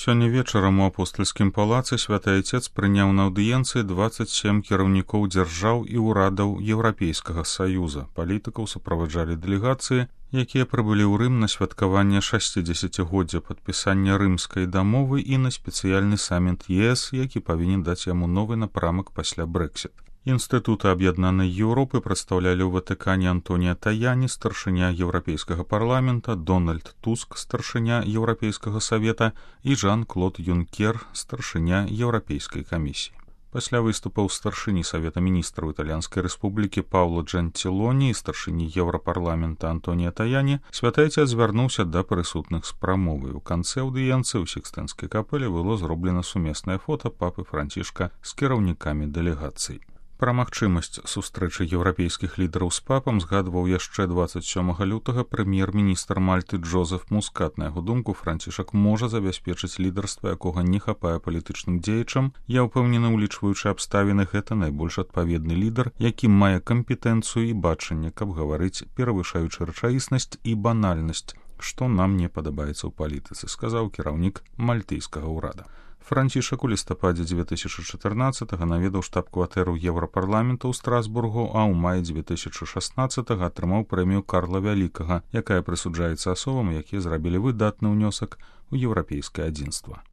Сёння вечарам у апостальскім палацы святы айцец прыняў на аўдыенцыі 27 кіраўнікоў дзяржаў і ўрадаў Еўрапейскага саюза. Палітыкаў суправаджалі дэлегацыі, якія прыбылі ў Рым на святкаванне 60-годдзя падпісання рымскай дамовы і на спецыяльны саміт ЕС, які павінен даць яму новы напрамак пасля Брэксіт. Інстытуты Аб'яднанай Еўропы прадстаўлялі ў Ватыкане Антонія Таяні, старшыня Еўрапейскага парламента, Дональд Туск, старшыня Еўрапейскага савета і Жан-Клод Юнкер, старшыня Еўрапейскай камісіі. Пасля выступаў старшыні Савета міністраў Італьянскай рэспублікі Паўло Джантилоні і старшыні Еўрапарламента Антонія Таяні, святы айцец звярнуўся да прысутных з прамовай. У канцы аўдыенцыі ў Сікстэнскай капэле было зроблена сумеснае фота папы Францішка з кіраўнікамі дэлегацый. Пра магчымасць сустрэчы еўрапейскіх лідараў з папам згадваў яшчэ 27 лютага прэм'ер-міністр Мальты Джозеф Мускат. На яго думку, Францішак можа забяспечыць лідарства, якога не хапае палітычным дзеячам. Я ўпэўнены, улічваючы абставіны, гэта найбольш адпаведны лідар, які мае кампетэнцыю і бачанне, каб гаварыць, перавышаючы рэчаіснасць і банальнасць, што нам не падабаецца ў палітыцы, сказаў кіраўнік мальтыйскага ўрада. Францішак у лістападзе 2014-го наведаў штаб-кватэру Еўрапарламента ў Страсбургу, а ў маі 2016-го атрымаў прэмію Карла Вялікага, якая прысуджаецца асобам, якія зрабілі выдатны ўнёсак у еўрапейскае адзінства.